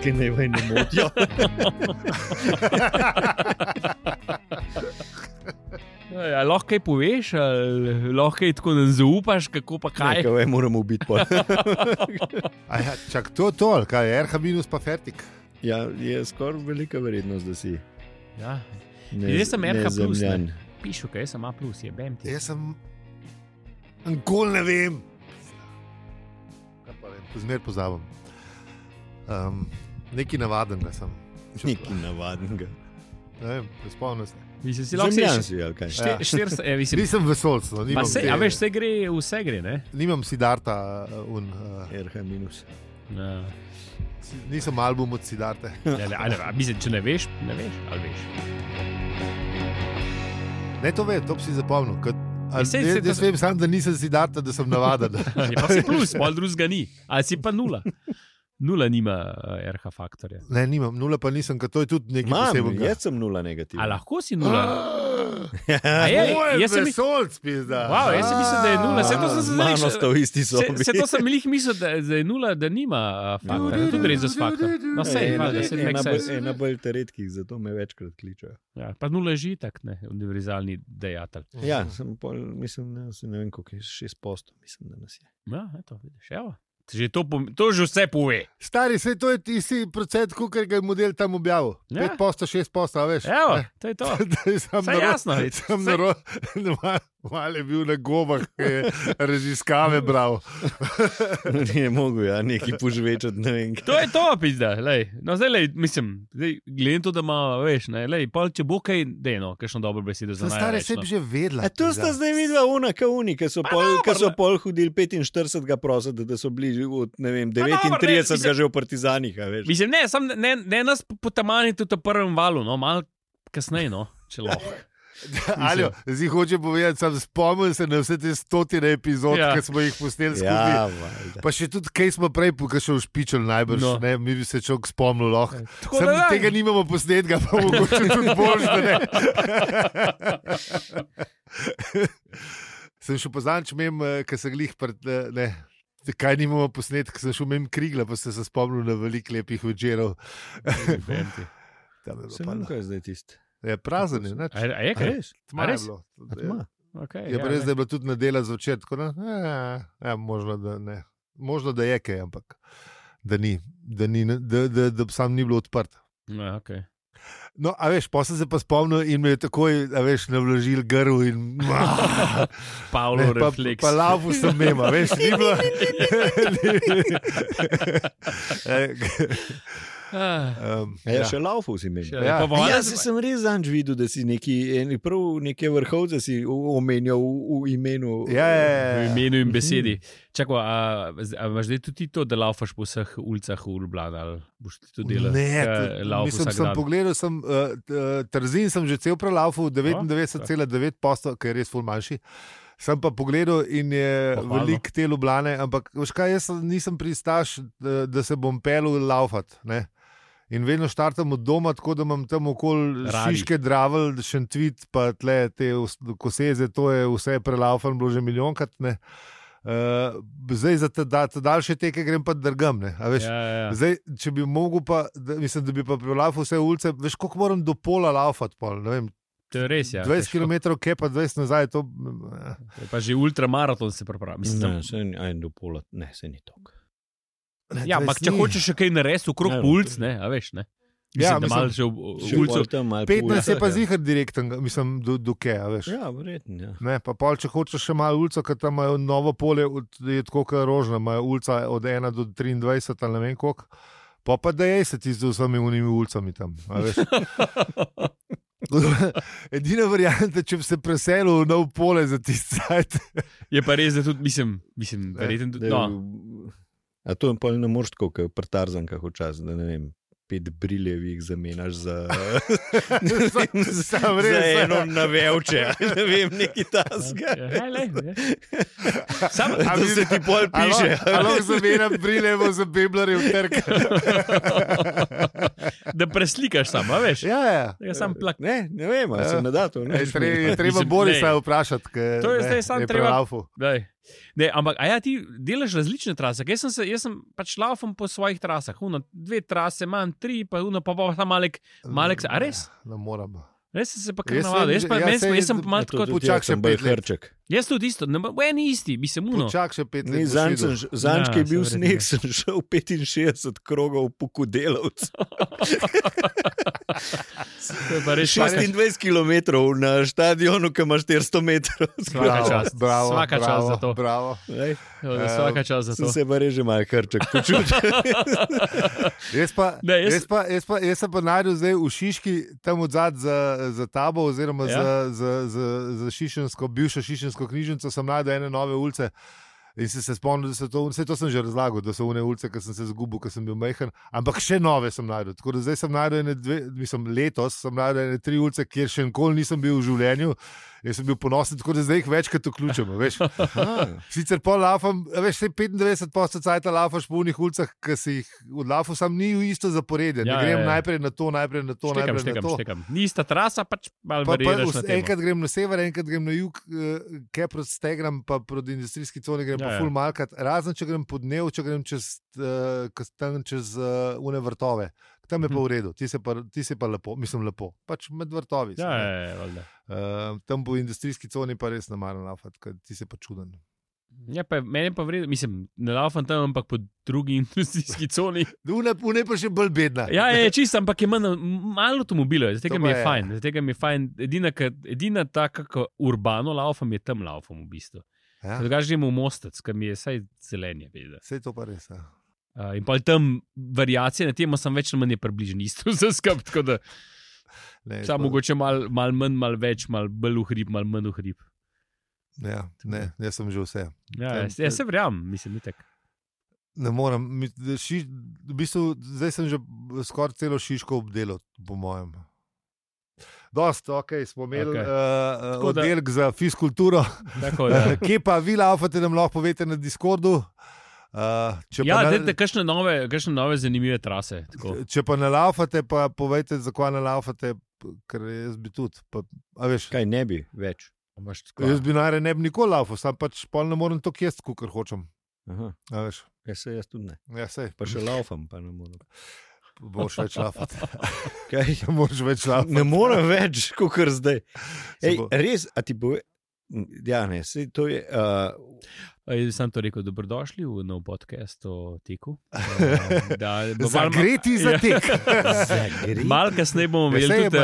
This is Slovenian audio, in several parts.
ženske ne motijo. Ja, lahko kaj poveš, lahko kaj tako ne zaupaš, kako pa kaj. Nekaj moramo biti pol. Ja, čak, to, kaj je RH minus pa fertik. Ja, je skoraj velika verjetnost, da si. Ja. Jaz sem RH plus, ne. Pišu, kaj jaz sem A plus, je bem ti. Jaz sem... Nikoli ne vem. Kaj pa vem, zmer pozabim. Nekaj navadenega sem. Nekaj navadenega. Ne vem, spomnim se. Mislim, si lahko Zemljanci, ali kaj? Nisem vesolc, no. A veš, vse gre, ne? Nimam Siddharta RH minus. Ja. Nisem album od Siddharte. Mislim, če ne veš, ali veš. Ne, to vem, to bi si zapomnil. Jaz vem sam, da nisem Siddharta, da sem navaden. Pa si plus, pol drugega ni. Ali si pa nula. Nula nima RH faktorja. Ne, nimam. Nula pa nisem, ker to je tudi nekaj posebnega. Jaz sem nula negativna. A lahko si nula? Moj vesolc, pizda. Wow, jaz sem mislil, da je nula. Mano sta v isti sobi. Se to sem jih mislil, da je nula, da nima faktorja. Tudi rezus faktor. No, Ena bolj redkih, zato me večkrat kličajo. Ja, pa nula je že tak, ne, univerzalni dejatelj. Ja, mislim, ne vem, koliko je 6%, mislim, da nas je. Ja, eto, vidiš, evo. To že vse pove. Stari, sej to je tisti procent, kukaj ga je model tam objavil. Ja. 5%, 6%, a veš. Evo, to je to. Saj jasno. Mal je bil na gobah, ki je raziskave bral. Ni mogel, ja, nekaj požvečati, ne vem. To je to, pizda, lej. No, zdaj, lej, mislim, gledam to, da ima, veš, ne, lej, pol, če bo kaj, dejno, kakšno dobro besedo za najrečno. Stari, sebi že vedla. To sta zdaj videla uni, ki so pol hodili 45. prositi, da so bili od, ne vem, 39. že v partizanih, a veš. Mislim, ne nas potamani tudi v prvem valu, no, malo kasneje, no, če lahko. Aljo, zdaj hoče povedati, sam spomnil se na vse te 100 epizod, ki smo jih posneli skupaj. Ja, pa še tudi, kaj smo prej pokašal špičali najbrž, no. Ne, mi bi se človek spomnil lahko. Sam tega nimamo posnetega, pa mogoče tudi boljš, da ne. Sem šel poznam, če imam, ker sem glih, ne, kaj nimamo posnetka, sem šel imam Krigla, pa sem se spomnil na veliko lepih večerov. Se nam kaj zdaj tisti? Je prazen, je, neč. A je kaj res? Tma je bilo. Okay, je pa res, da je bilo tudi nedela zvečer, tako da, možno, da ne. Možno, da je kaj, ampak da ni, da sam ni bilo odprt. Ja, okej. No, a veš, pa sem se pa spomnil in me je takoj, a veš, navlažil grl in... Pavlo refleks. Pa laufu sem mema, veš, ni bilo... Še laufov si imel. Jaz sem res zanj videl, da si neke vrhovce si omenjal v imenu. V imenu in besedi. Čakaj, a imaš zdaj tudi to, da laufaš po vseh ulicah v Ljubljani, ali boš ti to delal? Ne, mislim, sem pogledal, Trzin sem že cel prelaufal, 99,9%, ker je res ful manjši. Sem pa pogledal in je veliko te Ljubljane, ampak veš kaj, jaz nisem pristaš, da se bom pelil laufat, ne. In vedno štartam od doma, tako da imam tam okoli Šiške, Dravelj, Šentvid, pa tle te Koseze, to je vse prelaufan, bilo že milijonkrat, ne. Zdaj za te daljše teke grem pa drgam, ne. A veš, zdaj, če bi mogel pa, mislim, da bi pa prelaufal vse ulice, veš, koliko moram do pola laufat, pol, ne vem. To je res, ja. 20 km, kaj pa 20 nazaj, to... Pa že ultramaraton se pripravi. Ne, do pola, ne, se ni tok. Ja, ampak če hočeš še kaj narediti okrog ulic, ne, a veš, ne. Ja, mislim, da malo že v ulico. 15 je pa zihar direkten, mislim, do kaj, a veš. Ja, verjetno, ja. Ne, pa pol, če hočeš še malo ulico, ker tam imajo novo polje, je tako kot Rožna, imajo ulica od 1 do 23, ali ne vem koliko, pa da je se ti z vsemi unimi ulicami tam, a veš. Edina varianta, če bi se preselil v nov pole za tisti sajt. Je pa res, da tudi, mislim, verjetno tudi, no. A to pa ne moreš tako, kot pri Tarzankah včasih, da ne vem, 5 briljevih zamenjaš za eno navevče, ne vem, neki tasga. Da se ti pol piše. Alo zamenjam briljevo za beblarjev trg. Da preslikaš sam, a veš? Ja. Sam plak. Ne vem, ali se ne da to. Je treba Borisa vprašati, to je zdaj sam treba. Ne, ampak, ti delaš različne trase. Jaz sem pač laufam po svojih trasah. 2 trase imam, 3, pa tam malek. A res? Ne moram. Res se pa kar navadil. Jaz sem malo tako... Počak še 5 hrček. Jaz tudi isto. Ni isti, bi se muno. Počak še 5 let. Zanč, ki je bil sneg, sem šel 65 krogov po Kudelovcu. 26 km na štadionu, ki ima 400 metrov. Svaka čast za to. Bravo. Svaka čast za to. Sem se pa reže malo hrček počutil. Jaz sem pa najdel zdaj v Šiški, tam odzad za tabo, oziroma za bivšo šišensko knjižnico, sem najdel ene nove ulice in se spomnil, da so to, vse to sem že razlagal, da so une ulice, ki sem se zgubil, ki sem bil majhen, ampak še nove sem najdel. Tako da zdaj sem najdel letos sem najdel 3 ulice, kjer še nikoli nisem bil v življenju. Jaz sem bil ponosen, tako da zdaj jih večkrat vključimo. Sicer pol lafam, 95% cajta lafaš po unih ulicah, ki si jih odlafal, sam ni isto zaporedje. Ne grem najprej na to, najprej na to. Štekam. Ni ista trasa, pač malo variiraš na temo. Enkrat grem na sever, enkrat grem na jug, kaj proti Stegram, pa proti industrijski coni grem pa ful malkat. Razen, če grem po dnev, če grem čez une vrtove. Tam je pa v redu, ti si pa lepo, mislim lepo, pač med vrtovi. Tam po industrijski coni pa res ne maram lafati, ker ti si pa čuden. Ja, pa meni pa v redu, mislim, ne laufam tam, ampak po drugi industrijski coni. Une pa še bolj bedna. Ja, je čisto, ampak je malo avtomobilov, zato mi je fajn. Edina taka, ko urbano laufam, je tam laufam v bistvu. Drugače gremo v Mostec, ker mi je saj zelenje. Saj to pa res, in pa tam variacije na temo sem več ali manj približen isto vse skup, tako da samo mogoče malo manj, malo več, malo bolj v hrib, malo manj v hrib. Ja, ne, jaz sem že vse. Ja, jaz se verjamem, mislim, itak. Ne moram, v bistvu zdaj sem že skoraj celo Šiško obdelal, po mojem. Dost, smo imeli oddelek za fizkulturo. Kje pa vi laufate, nam lahko povete na Discordu? Kakšne nove zanimive trase. Tako. Če pa ne laufate, pa povejte, zakaj ne laufate, ker jaz bi tudi. Kaj ne bi več? Jaz bi najraje ne bi nikoli laufal, sam pač pol ne morem to jesti, kakor hočem. Jaz tudi ne. Ja, pa še laufam, pa ne morem. Boš več laufati. Kaj? Moraš več laufati. Ne morem več, kakor zdaj. Res, a ti bo... Ja, ne, to je... Sem to rekel, dobrodošli v nov podcast o teku. Zagreti za tek. Malo kasneje bomo imeli tudi...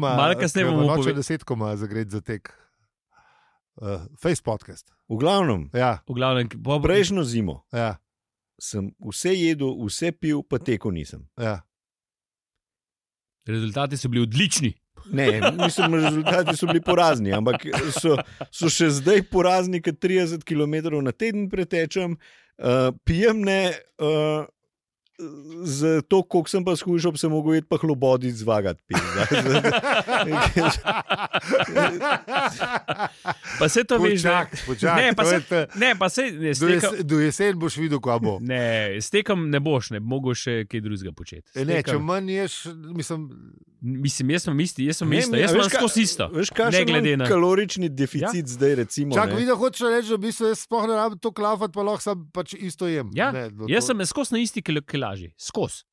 Malo kasneje bomo povedali. Noče 10 koma zagreti za tek. Face podcast. V glavnem. Ja. Prejšnjo zimo. Ja. Sem vse jedel, vse pil, pa tekel nisem. Ja. Rezultati so bili odlični. Ne, mislim, rezultati so bili porazni, ampak so še zdaj porazni, ker 30 km na teden pretečem, pijem ne, za to, koliko sem pa skušal, bi se mogel jeti pa hlobodic zvagati. Pa se to veš, do jesen boš videl, kaj bo. Ne, s tekom ne boš, ne mogo še kaj drugega početi. Ne, če manj ješ, Mislim, jaz sem isto. Jaz sem skozi isto. Veš, kakšen kalorični deficit zdaj, recimo. Čak, vidim, hočeš reči, da v bistvu jaz sploh ne rabim to klaufati, pa lahko sam pač isto jem. Ja, jaz sem skozi na isti kilaži. Skozi.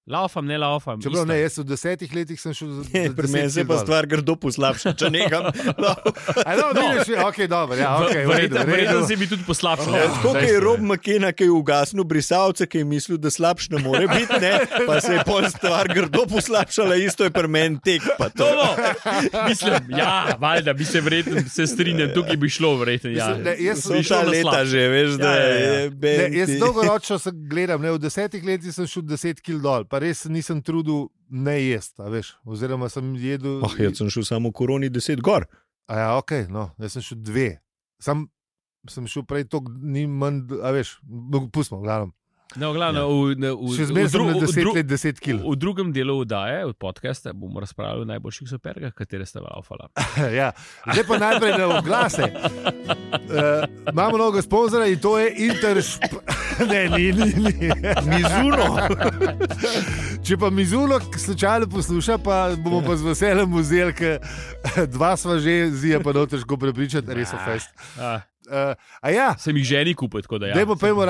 Laufam, ne laufam. Čeprav ne, jaz v 10 letih sem šel za 10 kil. Pri meni se pa stvar grdo poslabša, če nekam. Verjetno se bi tudi poslabšal. Tako je Rob McKenna, ki je ugasnil brisalce, ki je mislil, da slabš ne more biti, ne? Pa se je pol stvar grdo poslabšala, isto je pri meni tek. Pa to. Mislim, ja, valjda bi se verjetno strinjal, tukaj bi šlo verjetno. Jaz sem ta leta že, veš, da je... Jaz dolgoročno se gledam, v 10 letih sem šel 10 kil dol. Pa res nisem trudil ne jesti, veš, oziroma sem jedel... Jaz sem šel samo v koroni 10 gor. Ja, okej, no, jaz sem šel 2. Sem šel prej toliko, ni manj, veš, pustimo, glavno. No, glavno, še zmeraj sem na 10 kil. V drugem delu oddaje, od podcasta, bomo razpravljali o najboljših supergah, katere ste laufala. Ja, zdaj pa najprej na oglase. Imamo novega sponzora in to je Ne, ni. Mizuno. Če pa Mizuno slučajno posluša, pa bomo pa z veseljem vzeli, ker 2 sva že, Zija pa no težko prepričati, res so fest. Sem jih ženi kupil, tako da ja. Dajmo, pojmo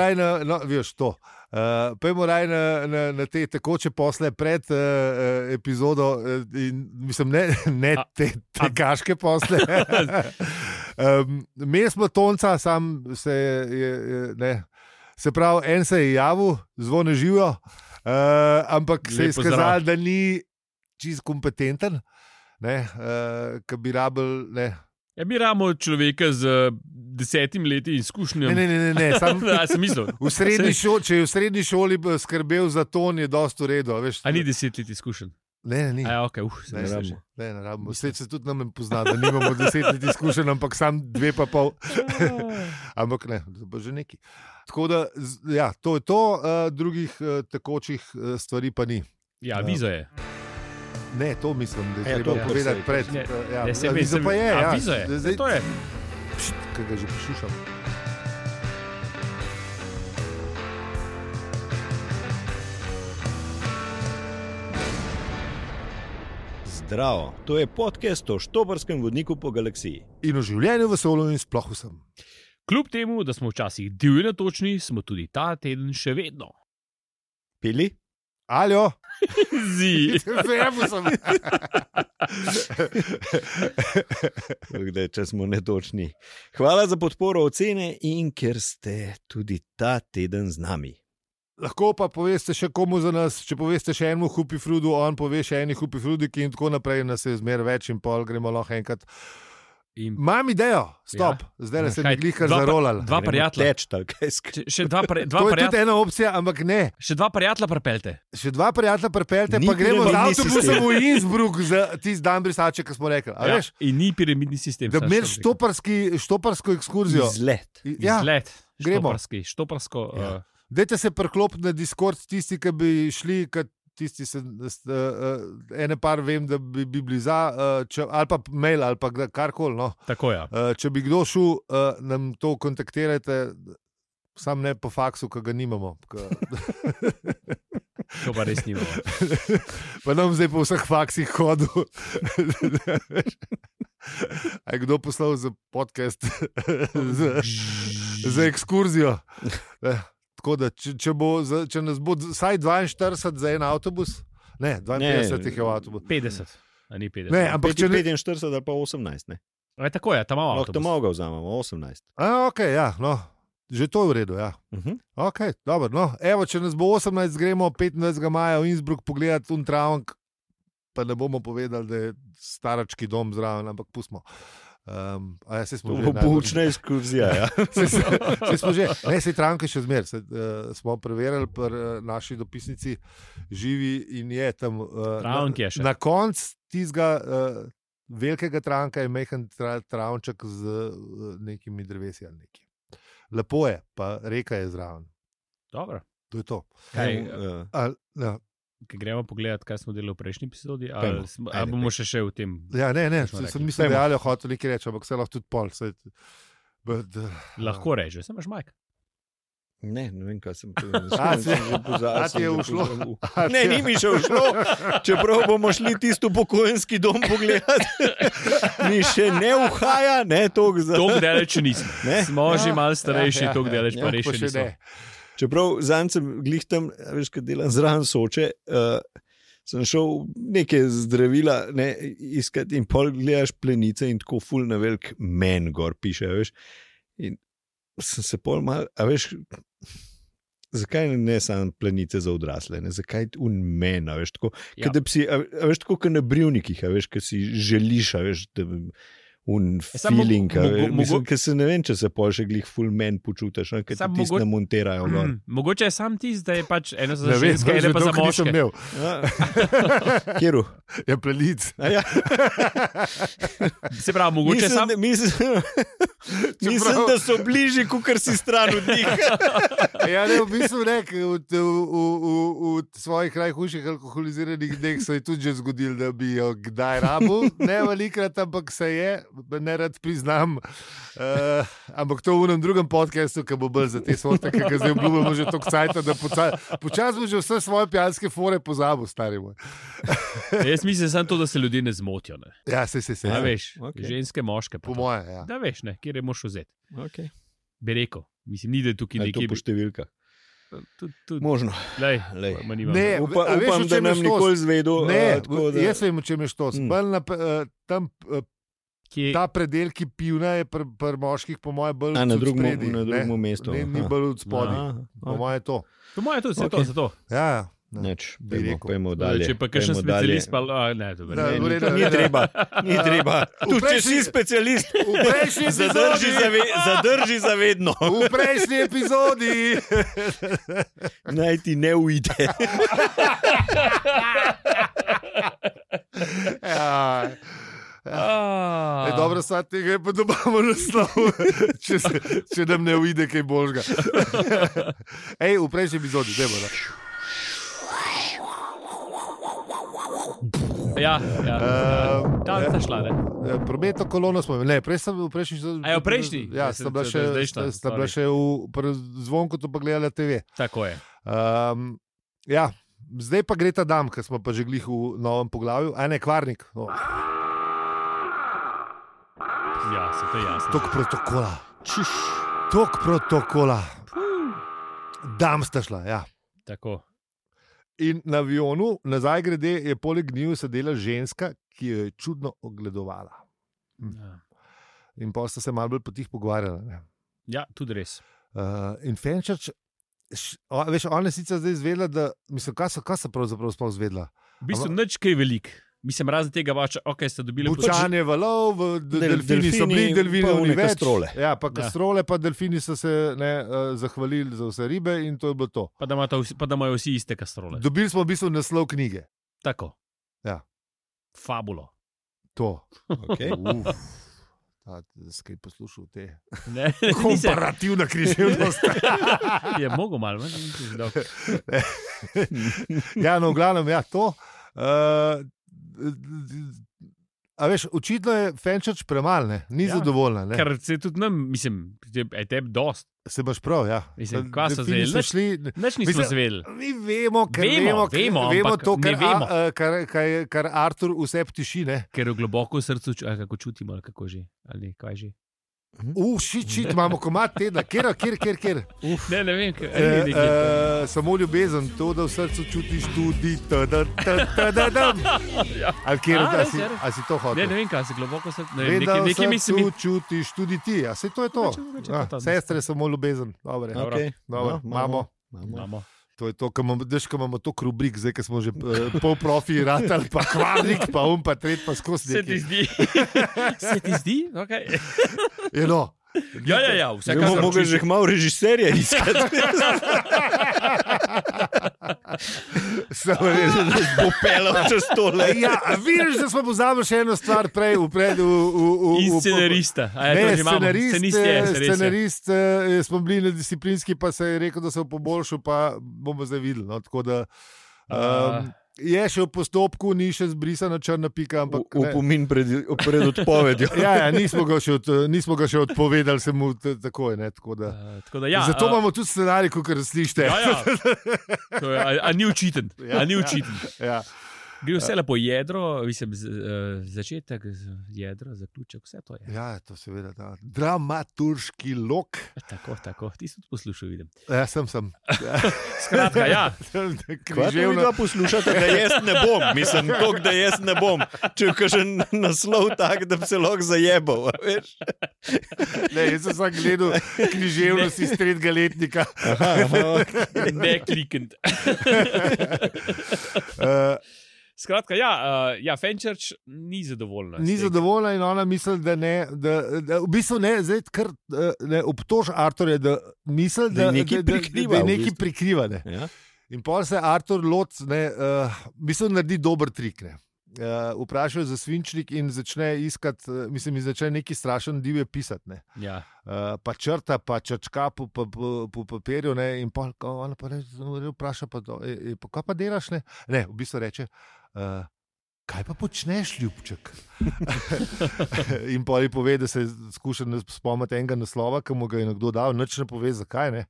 raj na te tekoče posle pred epizodo, mislim, ne te kaške posle. Mi smo Tonca, sam se pravi, en se je javil, zvone živijo, ampak se je izkazalo, da ni čist kompetenten, ki bi rabil. Mi rabimo človeka z 10 leti izkušnjami. Ne, sam sem mislil. Če je v srednji šoli skrbel za ton, je dosti v redu. A ni 10 let izkušen? Ne, ni. Ne rabimo. Vse se tudi nam pozna, da nimamo 10 let izkušen, ampak sam 2,5. Ampak ne, to bo že neki. Tako da, ja, to je to, drugih tekočih stvari pa ni. Ja, viza je. Ne, to mislim, da je treba povedati pred. Viza pa je, ja. Viza je, zdaj to je. Kaj ga že poslušam. Zdravo, to je podcast o štoparskem vodniku po galaksiji. In o življenju v vesolju in sploh vsem. Kljub temu, da smo včasih divji natočni, smo tudi ta teden še vedno. Pili? Aljo? Zi. Vemo sem. Če smo netočni. Hvala za podporo ocene in ker ste tudi ta teden z nami. Lahko pa poveste še komu za nas, če poveste še enemu Hupifrudu, on pove še eni Hupifrudiki in tako naprej, nas je zmer več in pol gremo lahko enkrat. Imam idejo, stop, zdaj se mi glihkar zarolal. Dva prijatelja. Še dva to je tudi ena opcija, ampak ne. Še dva prijatelja pripeljte, pa gremo z avtobusom v Innsbruck za tisti dan brisače, ki smo rekli. Ja, in ni piramidni sistem. Da bi imeli štoparsko ekskurzijo. Izlet. Izlet. Štoparsko. Dajte se priklopiti na Discord tisti, ki bi šli, tisti ene par vem, da bi bili za, ali pa mail, ali pa karkoli. No. Tako je. Ja. Če bi kdo šel, nam to kontaktirajte, sam ne po faksu, ki ga nimamo. To pa res nimamo. Pa nam zdaj po vseh faksih hodil. A je kdo poslal za podcast, za ekskurzijo? Tako da, če nas bo vsaj 42 za en avtobus, ne, 52 jih je v avtobus. 50, a ni 50. Ne, ampak če 45 ali pa 18, ne. Tako je, tam imamo avtobus. Lahko to ga vzamemo, 18. Ok, ja, no, že to je v redu, ja. Ok, dobro, no, evo, če nas bo 18, gremo 25. maja v Innsbruck pogledati Untravnk, pa ne bomo povedali, da je starački dom zraven, ampak pustimo. To bo poučna ekskurzija. Ja. Sej Travnke še zmer. Smo preverili pri naši dopisnici živi in je tam na koncu tistega velikega Travnka je mehen travnček z nekimi drevesi ali neki. Lepo je, pa reka je zraven. Dobro. To je to. Ki gremo pogledati, kaj smo delali v prejšnji epizodi, ali bomo še v tem? Ja, ne, sem mislil, da je hotel nekaj reči, ampak se lahko tudi pol. Lahko reče, sem imaš majk. Ne vem, kaj sem tu. Ti je ušlo? Ne, ni mi še ušlo. Čeprav bomo šli tisto upokojenski dom pogledati, mi še ne uhaja, ne, toliko za... Toliko deleč nismo. Smo že malo starejši, toliko deleč pa res še nismo. Čeprav zanj sem glih tam, veš, kad delam zraven Soče, sem šel neke zdravila iskati in pol gledaš plenice in tako ful na velik men gor piše, veš. In sem se pol mal, a veš, zakaj ne samo plenice za odrasle, ne, zakaj un men, a veš, tako, ja. A veš, tako, kot na brivnikih, a veš, kad si želiš, a veš, da... Un feeling, ker se ne vem, če se pol še glih full men počutiš, ker ti tisti namonterajo gor. Mogoče je sam tisti, da je pač eno za ženske, eno pa za moške. Kjeru? Je plenic. Ja. Se pravi, mogoče sam... Mislim, da so bližji, kakor si stran od njih. Ja, ne, v bistvu v svojih najhujših alkoholiziranih dneh se je tudi že zgodil, da bi jo kdaj rabil, ne velikrat, ampak se je, ne rad priznam, ampak to v enem drugem podcastu, ki bo bolj za te sorte, ki ga zdaj obljubimo že toliko cajta, da počasno že vse svoje pijanske fore pozabil, stari moj. Jaz mislim samo to, da se ljudje ne zmotijo. Ne? Ja, se. Ja, veš, ženske, moške. Po moje, ja. Da veš, ne, kjer je moš vzeti. Okay. Bi rekel, mislim, ni da je tukaj nekje. To po številkah. Tud. Možno. Lej. Ne, upam, da nam nikoli zvedel. Jaz vem, o čem je štos. Tam ta predel, ki pivna, je pri moških, po moje, bolj na drugem mestu. Ni bolj od spodaj. Po moje to. Po moje to, vse to, zato. Ja, neč, pojmo dalje. Če pa kakšen specialist, pa ne, dobro. Ni treba. Tu, če si specialist, zadrži zavedno. V prejšnji epizodi. Naj ti ne ujde. Dobro, sad tega je pa dobamo naslov, če nam ne ujde kaj božga. V prejšnji epizodi, dajmo da. Ja. Tam sta šla, ne? Prometno kolono smo imeli. Ne, prej sem v prejšnji. V prejšnji? Ja, sta bila še v zvonku, to pa gledala TV. Tako je. Ja, zdaj pa gre ta dam, ker smo pa že glih v novem poglavju. Ne, Kvarnik. Ja, se to je jasno. Tok protokola. Dam sta šla, ja. Tako. In na avionu, nazaj grede, je poleg njiju sedela ženska, ki jo je čudno ogledovala. Ja. In pa sta se malo bolj potih pogovarjala. Ne? Ja, tudi res. In Fenčerč, veš, ona je sicer zdaj izvedela, da, mislim, kaj so pravzaprav sploh izvedela? V bistvu nič kaj velik. Mislim, razen tega vača, ste dobili bučanje valov, delfini so bili, delfini več. Kastrole. Ja, pa kastrole, pa delfini so se zahvalili za vse ribe in to je bilo to. Pa da imajo vsi iste kastrole. Dobili smo v bistvu naslov knjige. Tako. Ja. Fabulo. To. Okay. Skaj poslušal te. Ne, komparativna križevnost. Je mogo malo, Ja, no, v glavnem, ja, to. A veš, očitno je Fenčerč premal, ne? Ni zadovoljna. Ne? Ker se tudi nam, mislim, je tebi dost. Se baš prav, ja. Mislim, kva so zvedeli? Nič nismo zvedeli. Mi vemo, ker vemo to, kar Artur vse ptiši, ne? Ker v globoko srcu, kako čutimo, ali kako že, ali kaj že. Šit, imamo komad tedna, kjer. Ne vem, samo ljubezen, to, da v srcu čutiš tudi ali kjer, a si to hotel? Ne vem, kaj se globoko srcu, vem, da v srcu čutiš tudi ti, a se to je to. Sestre, samo ljubezen, dobro. Imamo. To je to, ko imamo to rubrik, zdaj, ko smo že pol profi ratali, pa Kvarnik, pa pa tret, pa skozi nekaj. Se ti zdi? Okay. No. Ja, vse kar mogo že malo režiserja iskati. Samo res, da bo pelal čez tole. Ja, vidiš, da smo pozabili še eno stvar prej in scenarista. Scenarist, smo bili na disciplinski, pa se je rekel, da se bo poboljšal, pa bomo zdaj videli. No, tako da je še v postopku, ni še zbrisana črna pika. Upomin pred odpovedjo. Ja, nismo ga še odpovedali, se mu takoj. Tako da, zato imamo tudi scenarij, kot slišite. A ni učiten. Ja. Gre vse lepo jedro, mislim, začetek, jedro, zaključek, vse to je. Ja, to seveda ta dramaturški lok. Tako, ti si tudi poslušal, vidim. Ja, sem. Skratka, ja. Kaj ti vi dva poslušate, da jaz ne bom? Mislim, tok, da jaz ne bom. Če kažem naslov tak, da bi se lahko zajebal, veš? Ne, jaz sem gledal književnost iz 3. letnika. Ne klikent. Skratka, Fenčerč ni zadovoljna. Ni zadovoljna in ona misli, da ne, v bistvu ne, zdaj kar obtož Arturja, da misli, da nekaj prikriva. Ne. Ja. In potem se Artur lot, misli, naredi dober trik. Ne. Vprašajo za svinčnik in začne iskati, začne neki strašen divje pisati. Ne. Ja. Pa črta, pa črčka po papirju, ne, in pa ona pa vpraša, pa kaj pa delaš? Ne, v bistvu reče, kaj pa počneš, ljubček? In poli pove, da se skuša spomniti enega naslova, ki mu ga je nekdo dal, nič ne pove, zakaj ne.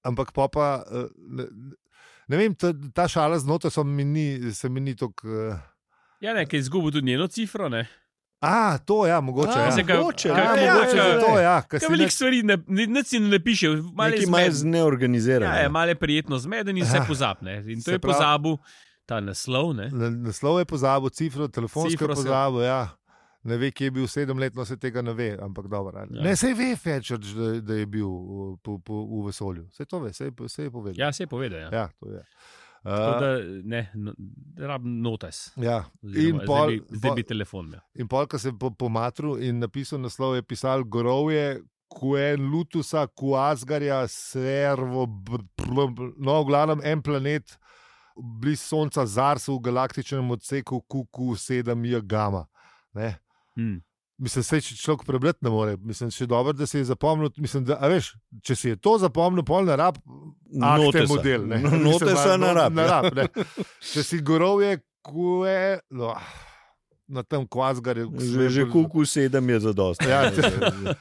Ampak pa, ne vem, ta šala znotraj se mi ni tako... Ja, nekaj izgubil tudi njeno cifro, ne? To ja, mogoče. Mogoče. Veliko stvari si ne piše. Neki malo zneorganizirani. Ja, malo je prijetno zmeden in se pozabne. In to je pozabil ta naslov, ne? Naslov je pozabil, cifro, telefonsko je pozabil, ja. Ne ve, kje je bil 7-letno, se tega ne ve, ampak dobro. Ja. Ne, se ve Fetchurch, da je bil v vesolju. Se to ve, se je povedal. Ja, se je povedal, ja. Ja, to je. Tako da, ne, rabim notes. Ja. Zdaj bi telefon. Ja. In pol, ko se je pomatril in napisal naslov, je pisal Gorovje, Kuen, Lutusa, Kuasgarja, Servo, no, v glavnem en planet, bliz Sonca, Zarsu, v galaktičnem odseku QQ7J Gamma. Ne? Mislim, če človek prebrati ne more. Mislim, še dobro, da si je zapomnil. Mislim, da, veš, če si je to zapomnil, pol na rab, akte model. Notesa na rab. Če si Gorovje, na tem Kvasgarju. Že QQ7 je zadost. Ja,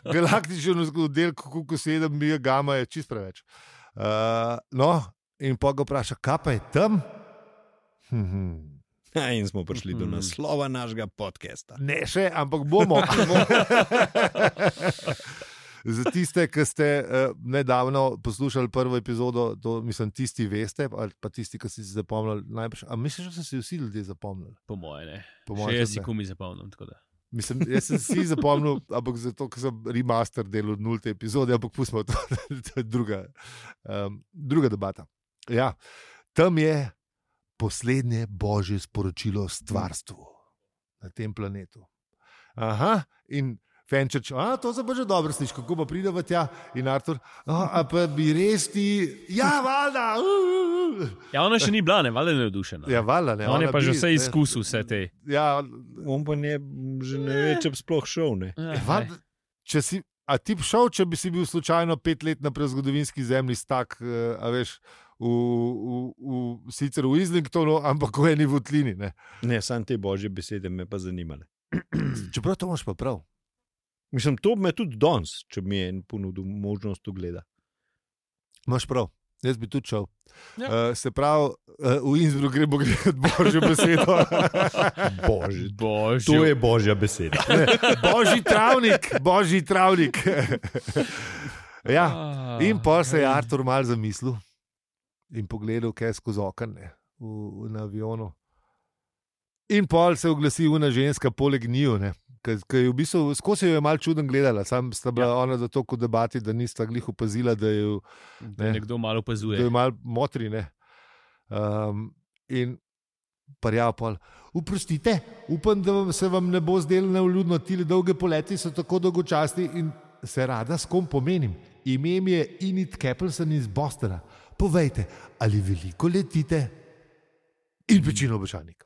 galaktičen oddelek QQ7 Gamma je čist preveč. No, in pa ga vpraša, kaj pa je tam? In smo prišli do naslova našega podcasta. Ne še, ampak bomo. Za tiste, ki ste nedavno poslušali prvo epizodo, to mislim, tisti veste, ali pa tisti, ki si zapomnili najprej. A misliš, da so si vsi ljudje zapomnili? Po moje ne. Še jaz si kumi zapomnim. Mislim, jaz sem si zapomnil, ampak zato, ker sem remaster delal 0. epizode, ampak pustimo to, to je druga debata. Ja, tam je poslednje božje sporočilo stvarstvu na tem planetu. Aha, in Fenčerč, to se pa že dobro sliši, kako pa pride v tja, in Artur, a pa bi res ti, ja, valjda. Ja, ona še ni bila, ne, valjda je navdušena. Ja, valjda, ne. On je pa že vse izkusil, vse te. Ja, on pa ne, že ne ve, če bi sploh šel, ne. Valjda, če si, a ti bi šel, če bi si bil slučajno 5 let na prezgodovinski zemlji stak, a veš, sicer v Islingtonu, ampak v eni votlini. Ne, samo te božje besede me pa zanimale. Čeprav to imaš pa prav. Mislim, to me tudi danes, če mi je ponudil možnost ogleda. Imaš prav, jaz bi tudi šel. Ja. Se pravi, v Innsbruck gremo gledati božjo besedo. Božjo. To je božja beseda. Božji travnik. Ja, in pa se je Artur mal zamislil in pogledal, kaj je skozi okno na avionu. In pol se je oglasi una ženska poleg njiju, ki je v bistvu, skozi jo je malo čuden gledala, sam sta bila ona za to v debati, da nista glih opazila, da jo nekdo malo opazuje. Da jo malo motri, ne. In parjav pol, oprostite, upam, da se vam ne bo zdelo nevljudno, tile dolge poleti so tako dolgočasni in se rada s kom pomenim. Ime mi je Enid Capelson iz Bostona. Povejte, ali veliko letite? In večino običajnik.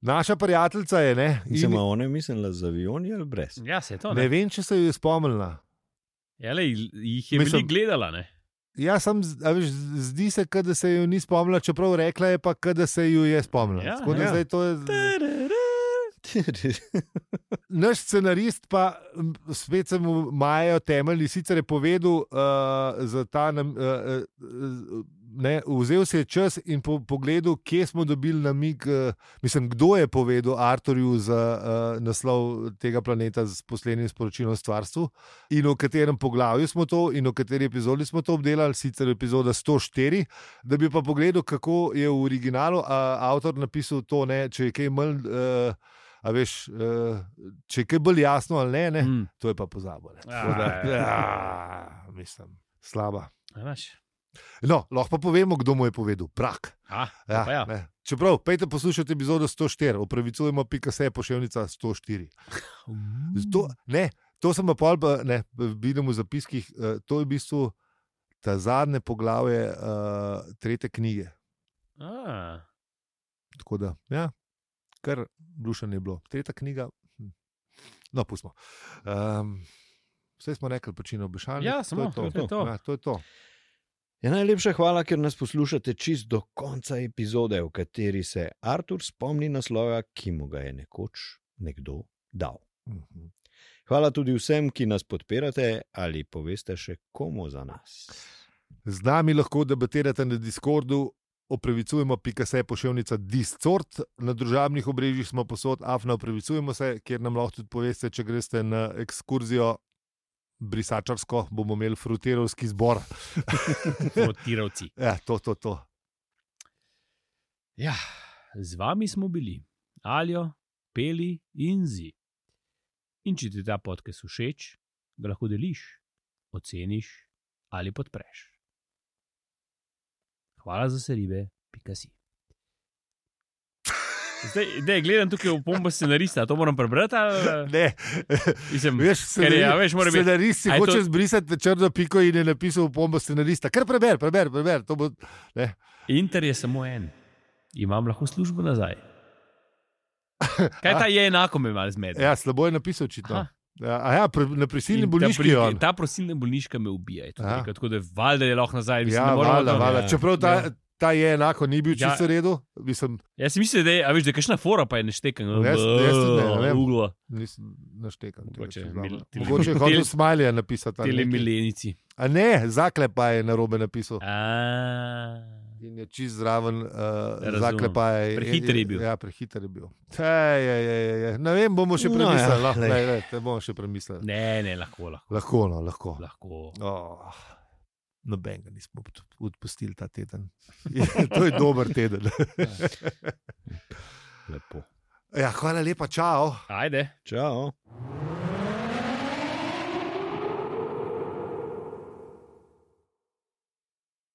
Naša prijateljica je, ne? Ona je mislila z avioni ali brez? Ja, se je to, ne vem, če se jo je spomnila. Ja, jih je veliko gledala, ne? Ja, zdi se, da se jo ni spomnila, čeprav rekla je pa, da se jo je spomnila. Ja, tako da zdaj to je... Naš scenarist pa spet se mu majajo temelji, sicer je povedal za ta vzel si je čas in pogledal, kje smo dobili namig, mislim, kdo je povedal Arturju za naslov tega planeta z poslednjim sporočilom stvarstvu in v katerem poglavju smo to in v kateri epizodi smo to obdelali, sicer epizoda 104, da bi pa pogledal, kako je v originalu avtor napisal to, če je kaj manj... A veš, če je kaj bolj jasno ali ne, to je pa pozabil. Mislim, slaba. No, lahko pa povemo, kdo mu je povedal. Prak. Čeprav, pejte poslušati epizodo 104, opravicujemo .se poševnica 104. To sem pa pol, vidim v zapiskih, to je v bistvu ta zadnje poglavje 3. knjige. Tako da, ja. Kar dušen je bilo. 3. knjiga, no, pustimo. Vse smo rekli, počino obešanje. Ja, samo to je to. Ja, to je to. Ja, najlepša hvala, ker nas poslušate čist do konca epizode, v kateri se Artur spomni naslova, ki mu ga je nekoč nekdo dal. Hvala tudi vsem, ki nas podpirate ali poveste še komu za nas. Z nami lahko debatirate na Discordu, opravičujemo.se /discord. Na družabnih obrežjih smo posod, opravičujemo se, kjer nam lahko tudi poveste, če greste na ekskurzijo brisačarsko, bomo imeli frutirovski zbor. Frutirovci. Ja, to. Ja, z vami smo bili Aljo, Peli in Zi. In če ti ta podcast všeč, ga lahko deliš, oceniš ali podpreš. Hvala za seribe.si. Zdaj, gledam tukaj v pombo scenarista, to moram prebrati? Ne. Veš, scenaristi hoče zbrisati črno piko in je napisal v pombo scenarista. Kar preber. To bo, ne. Inter je samo en. Imam lahko službo nazaj. Kaj ta je enako me malo zmede? Ja, slabo je napisal očitno. Na prisilni bolniški je on. Ta prisilna bolniška me ubija. Tako da valjda je lahko nazaj. Ja, valjda. Čeprav ta je enako, ni bil čisto v redu. Jaz si mislim, da je kakšna fora, pa je neštekan. Jaz ne vem. Nisem naštekan. Mogoče je hotel Smilija napisati. Tele milenici. A ne, zaklepa je narobe napisal. In je čist zraven zaklepa je. Prehiter je bil. Ja, prehiter je bil. Ne vem, bomo še premislili. Bomo še premislili. Ne, lahko. Lahko. Noben ga nismo odpustili ta teden. To je dober teden. Lepo. Ja, hvala lepa, čau. Ajde. Čau.